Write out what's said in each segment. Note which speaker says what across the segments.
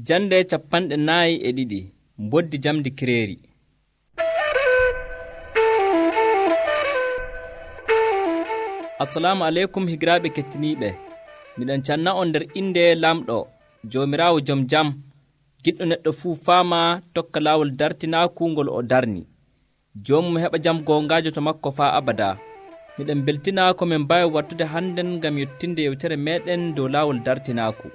Speaker 1: Jande 42 mboddi jamdi kireeri. Assalamu alaikum higiraaɓe kettiniiɓe. Miɗon canna on nder inde lamɗo Joomiraawo jom jam, giɗɗo neɗɗo fuu faama tokka laawol dartinaaku ngol o darni. Joomum heɓa jam goongaajo to makko faa abada. Miɗen beltina ko min mbawi wattude hannden ngam yettinde yewtere meɗen dow laawol dartinaaku.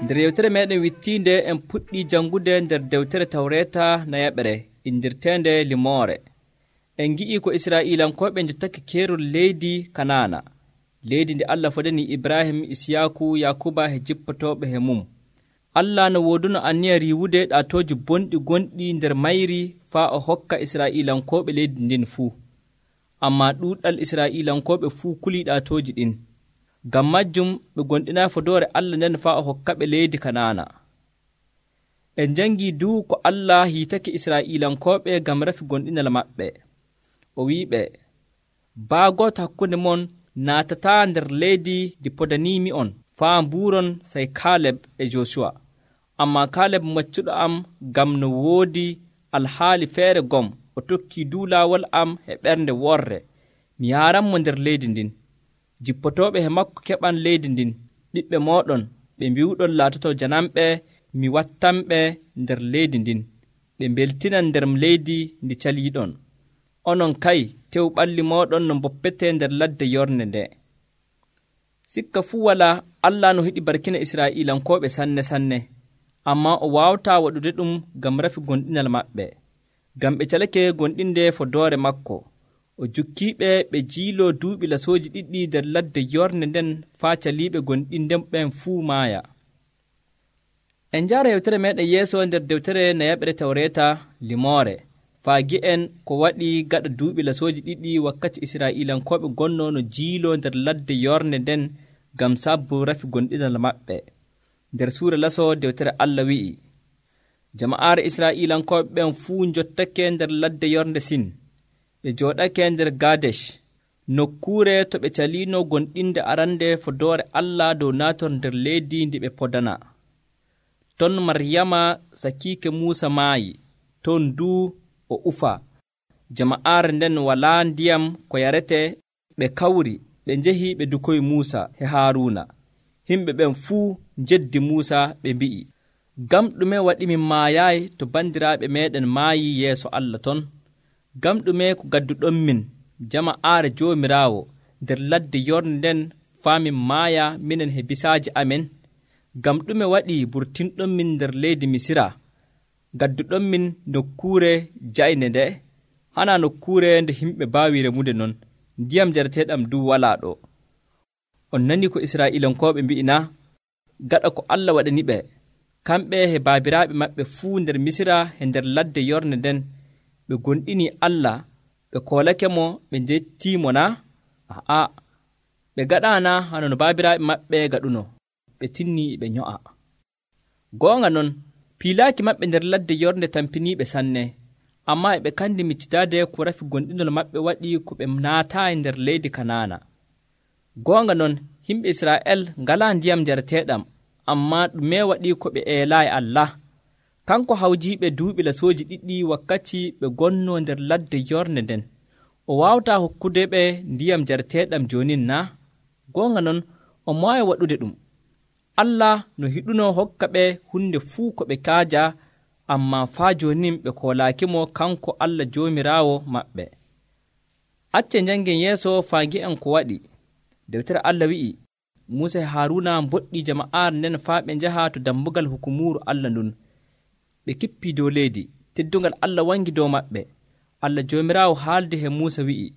Speaker 1: Nder yewtere meɗen wittiinde en puɗɗi jangude nder dewtere Tawreeta nayaɓere indirteende limoore. En gi'i ko Israa'iilankoɓe jottake keerol leydi Kanaana, leydi ndi Allah fodani Ibrahim, Isiyaaku, Yakuba he jippotooɓe he mum. Allah no wooduno anniya riiwude ɗaatooji bonɗi gonɗi nder mayri faa o hokka Israa'iilankoɓe leydi ndin fuu. Ammaa ɗuuɗal Israa'iilankoɓe fuu kulii ɗaatooji ɗin. Ngam majjum ɓe gonɗinaa fodoore Allah nden faa o hokkaɓe leydi Kanaana. En jangii duu ko Allah hiitake Israa'iilankoɓe ngam rafi gonɗinal maɓɓe. O wi'iɓe, baagooto hakkunde mon naatataa nder leydi ndi podaniimi'on faa mbuuron sey Kaaleb e Joosuwa. Ammaa Kaaleb maccuɗo am ngam no woodi alhaali feere gom o tokkii duu laawol am e ɓernde worre. Mi yaaranmo nder leydi ndin. Jippotooɓe he makko keɓan leydi ndin. Ɓiɓɓe mooɗon ɓe mbiwɗon laatoto janamɓe, mi wattanɓe nder leydi ndin. Ɓe mbeltinan nder leydi ndi caliiɗon. Onon kay tew ɓalli mooɗon no mboppetee nder ladde yornde nde. Sikka fuu walaa Allah no hiɗi barkina Israa'iilankoɓe sanne, ammaa o waawataa waɗude ɗum ngam rafi gonɗinal maɓɓe. Ngam ɓe calake gonɗinde fodoore makko. O jukkiiɓe ɓe jiiloo duuɓi lasooji ɗiɗi nder ladde yornde nden faa caliiɓe gonɗinɗen ɓen fuu maaya. En njaara yewtere meeɗen yeeso nder dewtere nayaɓere Tawreeta limoore. Faa gi'en ko waɗi gaɗa duuɓi lasooji ɗiɗi wakkati Israa'iilankoɓe gonnoo no jiiloo nder ladde yornde nden ngam sabbu rafi gonɗinal maɓɓe. Nder suura lasoo dewtere Allah wi'i, jama'aare Israa'iilankoɓe ɓen fuu njottake nder ladde yornde Sin. Ɓe jooɗake nder Gadesh, nokkuure to ɓe caliino gonɗinde arande fodoore Allah dow naator nder leydi ndi ɓe podana. Ton Maryama sakiike Muusa maayi, ton duu o ufa. Jama'aare nden walaa ndiyam ko yarete, ɓe kawri ɓe njehi ɓe dukoyi Muusa he Haaruuna. Himɓe ɓen fuu njeddi Muusa ɓe mbi'i, ngam ɗume waɗi min maayaayi to bandiraaɓe meeɗen maayi yeeso Allah ton? Ngam ɗume ko gadduɗon min jama'aare Joomiraawo nder ladde yornde nden faa min maaya minen he bisaaji amen? Ngam ɗume waɗi burtinɗon min nder leydi Misira? Gadduɗon min nokkuure jayne nde, hana nokkuure nde himɓe mbaawi remude non, ndiyam jarateeɗam duu walaa ɗo. On nani ko Israa'iilankoɓe mbi'ina, gaɗa ko Allah waɗaniɓe, kamɓe he baabiraaɓe maɓɓe fuu nder Misira he nder ladde yornde nden, ɓe gonɗinii Allah, ɓe koolake mo, ɓe njettiimo na? Aa, ɓe gaɗaana hano no baabiraaɓe maɓɓe gaɗuno, ɓe tinnii ɓe nyo'a. Goonga non, piilaaki maɓɓe nder ladde yornde tampiniiɓe sanne, ammaa e ɓe kandi miccidaade ko rafi gonɗinol maɓɓe waɗi ko ɓe naataayi nder leydi Kanaana. Goonga non, yimɓe Israa'el ngalaa ndiyam jarateeɗam, ammaa ɗume waɗi ko ɓe eelaayi Allah? Kanko hawjiiɓe duuɓi lasooji ɗiɗi wakkati ɓe gonnoo nder ladde yornde nden. O waawataa hokkude ɓe ndiyam jarateeɗam joonin na? Goonga non, o maayi waɗude ɗum. Allah no hiɗunoo hokka ɓe hunde fuu ko ɓe kaaja, ammaa faa joonin ɓe koolaakimo kanko Allah Joomiraawo maɓɓe. Acce njanngen yeeso faa ngi'en ko waɗi. Dewtere Allah wi'i, Muusa e Haaruuna mboɗɗii jama'aare nden faa ɓe njaha to dammugal hukumuuru Allah ndun. Ɓe kippii dow leydi, teddungal Allah wangi dow maɓɓe. Allah Joomiraawo haalde he Muusa wi'i,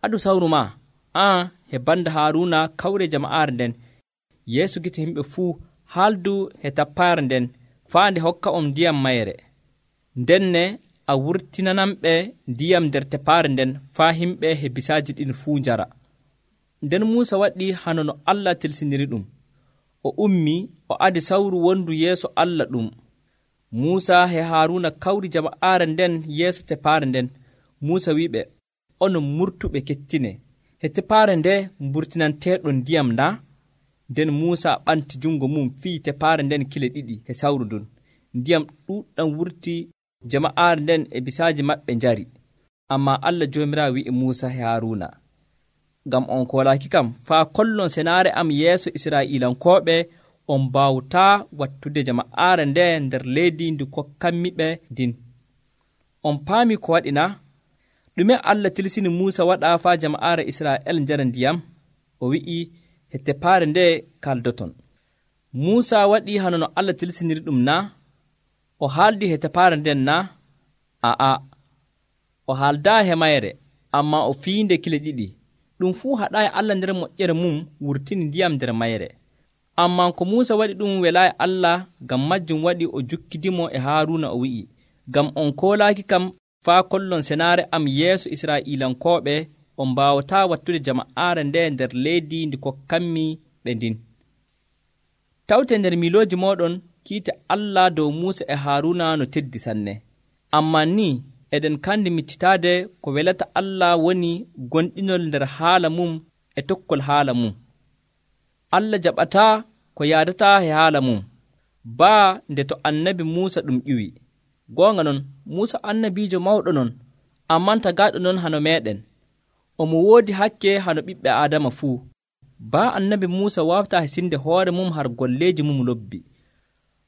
Speaker 1: aɗu sawru maa, aan he banda Haaruuna kawre jama'aare nden, yeeso gite himɓe fuu, haaldu he tappaare nden, faa nde hokka on ndiyam mayre. Ndenne a wurtinanamɓe ndiyam nder tepaare nden, faa himɓe he bisaaji ɗin fuu njara. Nden Muusa waɗi hano no Allah tilsiniri ɗum. O ummii, o adi sawru wondu yeeso Allah ɗum. Muusa he Haaruuna kawri jama'aare nden yeeso tepaare nden. Muusa wi'iɓe, onon murtuɓe kettine, he tepaare nde mburtinanteeɗon ndiyam na? nden Muusa ɓanti jungo mum fii tepaare nden kile 2 he sawru ndun. Ndiyam ɗuɗɗam wurti, jama'aare nden e bisaaji maɓɓe njari. Amma Allah Joomiraawo wi'i Muusa e Haaruna, ngam on koolaaki kam faa kollon senaare am yeeso Israa'iilankooɓe, on mbaawtaa wattude jama'aare nde nder leydi ndi kokkanmiɓe ndin. On paami ko waɗi na? Ɗume Allah tilsini Muusa waɗa faa jama'aare Israa'el njara ndiyam? O wi'i he tepaare nde kaldoton. Muusa waɗi hano no Allah tilsiniri ɗum na? O haaldi he tepaare nden na? Aa, o haaldaa he mayre, amma o fiinde kile 2. Ɗum fuu haɗaayi Allah nder moƴƴere mum wurtini ndiyam nder mayre. Ammaa ko Muusa waɗi ɗum welaayi Allah, ngam majjum waɗi o jukkidimo e Haaruuna o wi'i, ngam on koolaaki kam faa kollon senaare am yeeso Israa'iilankooɓe, on mbaawataa wattude jama'aare nde nder leydi ndi kokkanmi ɓe ndin. Tawte nder milooji mooɗon kiite Allah dow Muusa e Haaruuna no teddi sanne. Ammaa ni eɗen kandi miccitaade ko welata Allah woni gonɗinol nder haala mum e tokkol haala mum. Allah jaɓataa ko yaadataa e haala mum, baa nde to annabi Muusa ɗum ƴiwi. Goonga non, Muusa annabiijo mawɗo non, amman tagaaɗo non hano meeɗen. Omo woodi hakke hano ɓiɓɓe Aadama fuu. Baa annabi Muusa waawtaa hisinde hoore mum har golleeji mum lobbi.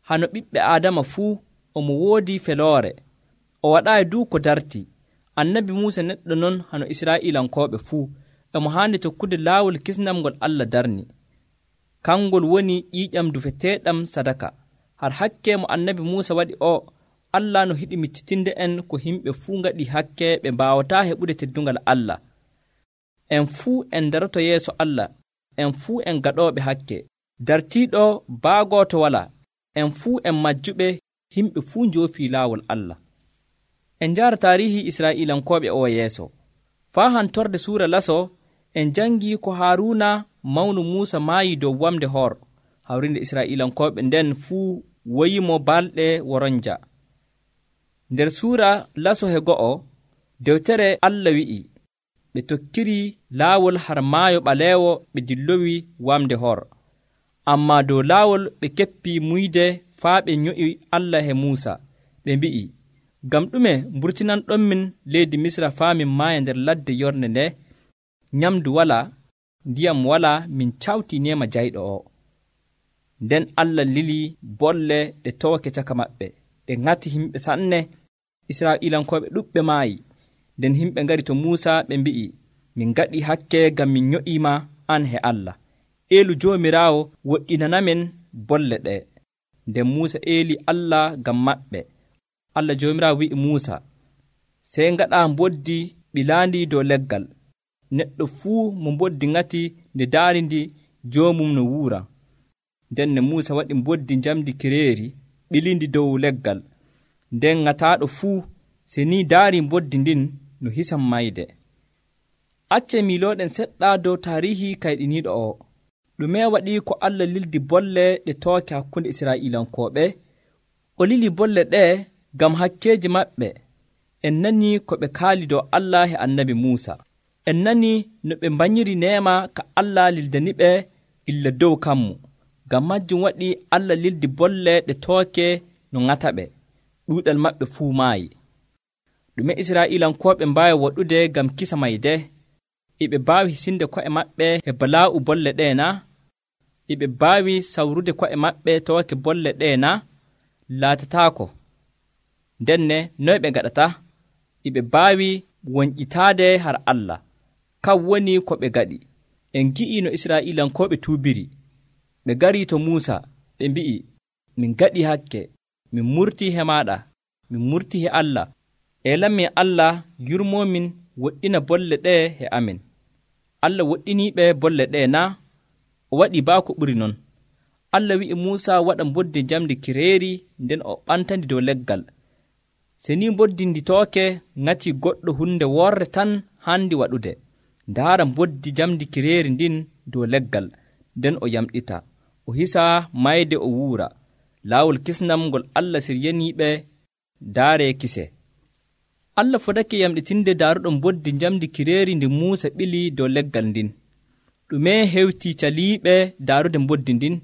Speaker 1: Hano ɓiɓɓe Aadama fuu omo woodi feloore. O waɗaayi duu ko darti. Annabi Muusa neɗɗo non hano Israa'iilankooɓe fuu. Emo haandi tokkude laawol kisnam ngol Allah darni. Kangol woni ƴiiƴam dufeteeɗam sadaka. Har hakke mo annabi Muusa waɗi o, Allah no hiɗi miccitinde en ko himɓe fuu ngaɗi hakke ɓe mbaawataa heɓude teddungal Allah. En fuu en daroto yeeso Allah, en fuu en gaɗooɓe hakke. Dartiiɗo baagooto walaa, en fuu en majjuɓe, himɓe fuu njoofii laawol Allah. En njaara taarihi Israa'iilankooɓe o yeeso. Faa hantorde suura laso, en jangii ko Haaruuna mawnu Muusa maayi dow wamde Hor. Hawrinde Israa'iilankooɓe nden fuu woyimo balɗe woronja. Nder suura laso he 2, dewtere Allah wi'i, ɓe tokkiri laawol har maayo ɓaleewo ɓe dillowi wamde Hor. Ammaa dow laawol ɓe keppii muyde faa ɓe nyo'i Allah he Muusa. Ɓe mbi'i, ngam ɗume mburtinanɗonmin leydi Misra faa min maaya nder ladde yornde nde? Nyamdu walaa, ndiyam walaa, min cawtii neema jayɗo o. Nden Allah lilii bolle ɗe tooke caka maɓɓe, ɗe ŋati himɓe sanne. Israa'iilankooɓe ɗuɓɓe maayi. Nden himɓe ngari to Muusa ɓe mbi'i, min ngaɗi hakke ngam min nyo'iima an he Allah. Eelu Joomiraawo woɗɗinanamen bolle ɗe. Nden Muusa eeli Allah ngam maɓɓe. Allah Joomiraawo wi'i Muusa, sey ngaɗaa mboddi ɓilaandi dow leggal. Neɗɗo fuu mo mboddi ŋati nde daarindi joomum no wuura. Nden ne Muusa waɗi mboddi njamdi kireeri ɓilindi dow leggal. Nden ŋataaɗo fuu se ni daari mboddi ndin no hisan mayde. Acce milooɗen seɗɗa dow taarihi kayɗiniiɗo o. Ɗume waɗi ko Allah lildi bolle ɗe tooke hakkunde Israa'iilankooɓe? O lili bolle ɗe ngam hakkeeji maɓɓe. En nani ko ɓe kaali dow Allah e annabi Muusa. En nani no ɓe mbanyiri neema ka Allah lildaniɓe illa dow kammu. Ngam majjum waɗi Allah lildi bolle ɗe tooke no ŋataɓe. Ɗuuɗal maɓɓe fuu maayi. Ɗume Israa'iilankooɓe mbaawi waɗude ngam kisa mayde? Iɓe mbaawi hisinde ko'e maɓɓe e balaa'u bolle ɗe na? Iɓe mbaawi sawrude ko'e maɓɓe tooke bolle ɗe na? Laatataako. Ndenne noy ɓe ngaɗata? Iɓe mbaawi wonƴitaade har Allah. Kam woni ko ɓe ngaɗi. En ngi'i no Israa'iilankooɓe tuubiri. Ɓe ngarii to Muusa, ɓe mbi'i, min ngaɗi hakke, min murtii he maaɗa, min murtii he Allah. Elanmin Allah yurmomin woɗɗina bolle ɗe he amin. Allah woɗɗiniiɓe bolle ɗe na? O waɗi baa ko ɓuri non. Allah wi'i Muusa waɗa mboddi njamdi kireeri, nden o ɓantandi dow leggal. Se ni mboddi ndi tooke ŋati goɗɗo hunde worre tan handi waɗude. Ndaara mboddi njamdi kireeri ndin dow leggal, nden o yamɗita. O hisa mayde o wuura. Laawol kisnam ngol Allah siryaniiɓe daare kise. Allah fodake yamɗitinde daaruɗo mboddi njamdi kireeri ndi Muusa ɓili dow leggal ndin. ɗume hewti caliiɓe daarude mboddi ndin?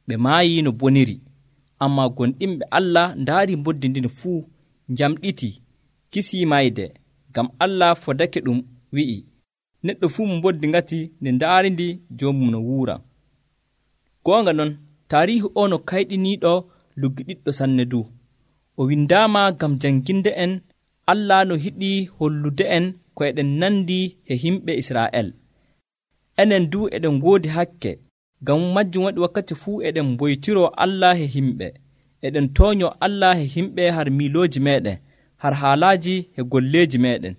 Speaker 1: ɓe maayi no boniri. Ammaa gonɗinɓe Allah ndaari mboddi ndin fuu, njamɗiti, kisii mayde, ngam Allah fodake ɗum wi'i, neɗɗo fuu mo mboddi ngati nde ndaarindi joomum no wuura. Goonga non, taariihu o no kayɗiniiɗo luggiɗiɗɗo sanne du. O windaama ngam janginde en Allah no hiɗii hollude en ko eɗen nandi e himɓe Israa'el. Enen du eɗen ngoodi hakke, ngam majjum waɗi wakkati fuu eɗen mboytiroo Allah e himɓe. Eɗen tooñoo Allah e himɓe har miilooji meeɗen, har haalaaji e golleeji meeɗen.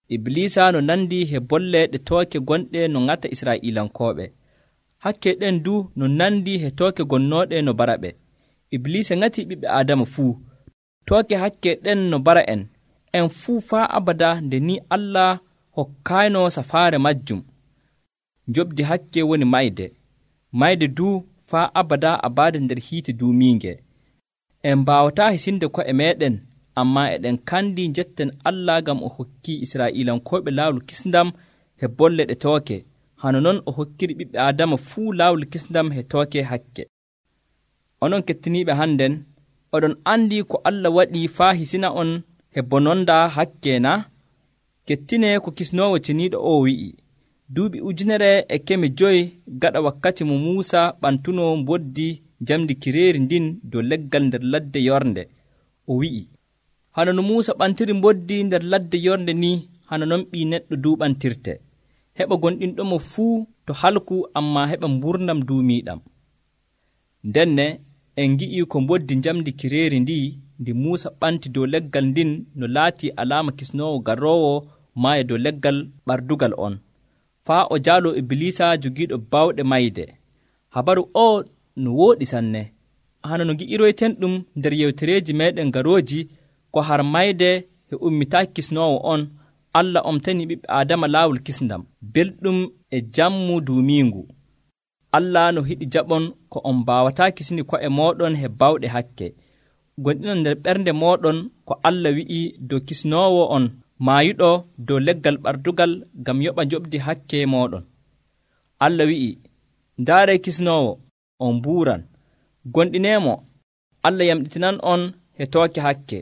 Speaker 1: Iblisa no nandi e bolle ɗe tooke gonɗe no ŋata Israa'iilankooɓe. Hakke ɗen du no nandi e tooke gonnooɗe no bara ɓe. Iblisa ŋati ɓiɓɓe Aadama fuu. Tooke hakke ɗen no bara en fuu faa abada nde ni Allah hokkayno safaare majjum. Njoɓdi hakke woni mayde du faa abada abaade nder hiite duumiinge. En mbaawataa hisinde ko'e meeɗen, ammaa eɗen kandi njetten Allah ngam o hokkii Israa'iilankooɓe laawol kisndam e bolle ɗe tooke, hano non o hokkiri ɓiɓɓe Aadama fuu laawol kisndam e tooke hakke. Onon kettiniiɓe hannden, oɗon andi ko Allah waɗi faa hisina on e bononda hakke na? Kettine ko kisnoowo ceniiɗo o wi'i. Duuɓi 1,500 gaɗa wakkati mo Muusa ɓantuno mboddi jamdi kireeri ndin dow leggal nder ladde yornde. O wi'i, hano no Muusa ɓantiri mboddi nder ladde yornde ni, hano non ɓii neɗɗo du ɓantirte. Heɓa gonɗinɗomo fuu to halku, ammaa heɓa mburnam duumiiɗam. Ndenne en ngi'i ko mboddi jamdi kireeri ndi Muusa ɓanti dow leggal ndin no laati alaama kisnoowo garoowo maayo dow leggal ɓardugal on, faa o jaalo Iblisa jogiiɗo bawɗe mayde. Habaru o no wooɗi sanne. Hano no ngi'iroyten ɗum nder yewtereeji meeɗen garooji ko har mayde e ummitaaki kisnoowo on, Allah omtani ɓiɓɓe Aadama laawol kisndam, belɗum e jammu duumiingu. Allah no hiɗi jaɓon ko on mbaawataa kisni ko'e mooɗon he bawɗe hakke. Gonɗinon nder ɓernde mooɗon ko Allah wi'i dow kisnoowo on maayuɗo dow leggal ɓardugal ngam yoɓa njoɓdi hakke mooɗon. Allah wi'i, ndaaree kisnoowo, on mbuuran. Gonɗineemo, Allah yamɗitinan on he tooke hakke.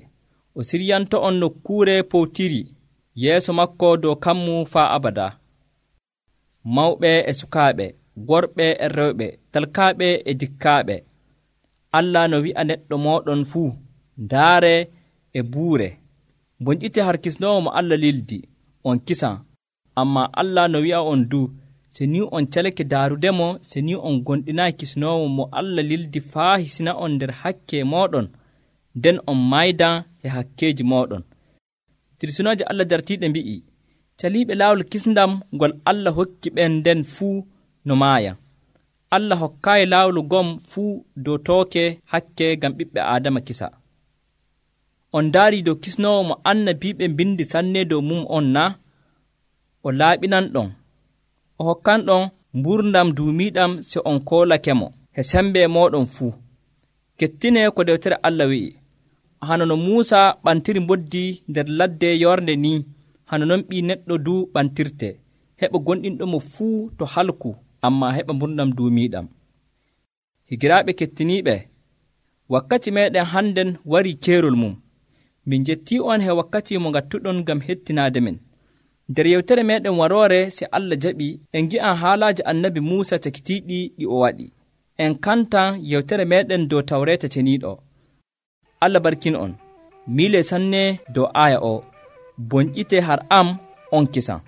Speaker 1: O siryanto on nokkuure powtiri yeeso makko dow kammu faa abada. Mawɓe e sukaaɓe, worɓe e rewɓe, talkaaɓe e dikkaaɓe, Allah no wi'a neɗɗo mooɗon fuu, ndaare e buure. Bonƴite har kisnoowo mo Allah lildi, on kisan. Ammaa Allah no wi'a on du, se ni on calake daarudemo, se ni on gonɗinaayi kisnoowo mo Allah lildi faa hisina on nder hakke mooɗon, nden on maydan e hakkeeji mooɗon. Tirsinooje Allah dartiiɗe mbi'i, caliiɓe laawol kisndam ngol Allah hokki ɓen nden fuu no maaya. Allah hokkaayi laawol gom fuu dow tooke hakke ngam ɓiɓɓe Aadama kisa. On ndaari dow kisnoowo mo annabiiɓe mbindi sanne dow mum on na? O laaɓinanɗon, o hokkanɗon mburdam duumiiɗam se on koolakemo he sembe mooɗon fuu. Kettine ko dewtere Allah wi'i, hano no Muusa ɓantiri mboddi nder ladde yornde ni, hano non ɓii neɗɗo du ɓantirte, heɓa gonɗinɗomo fuu to halku, ammaa heɓa mburdam duumiiɗam. Higiraaɓe kettiniiɓe, wakkati meeɗen hannden warii keerol mum. Min njettii on he wakkati mo ngattuɗon ngam hettinaade men. Nder yewtere meeɗen waroore se Allah jaɓi en ngi'an haalaaji annabi Muusa cakitiiɗi ɗi o waɗi. En kantan yewtere meeɗen dow Tawreeta ceniiɗo. Allah barkin on. Miile sanne dow aaya o. Bonƴite har am on kisan.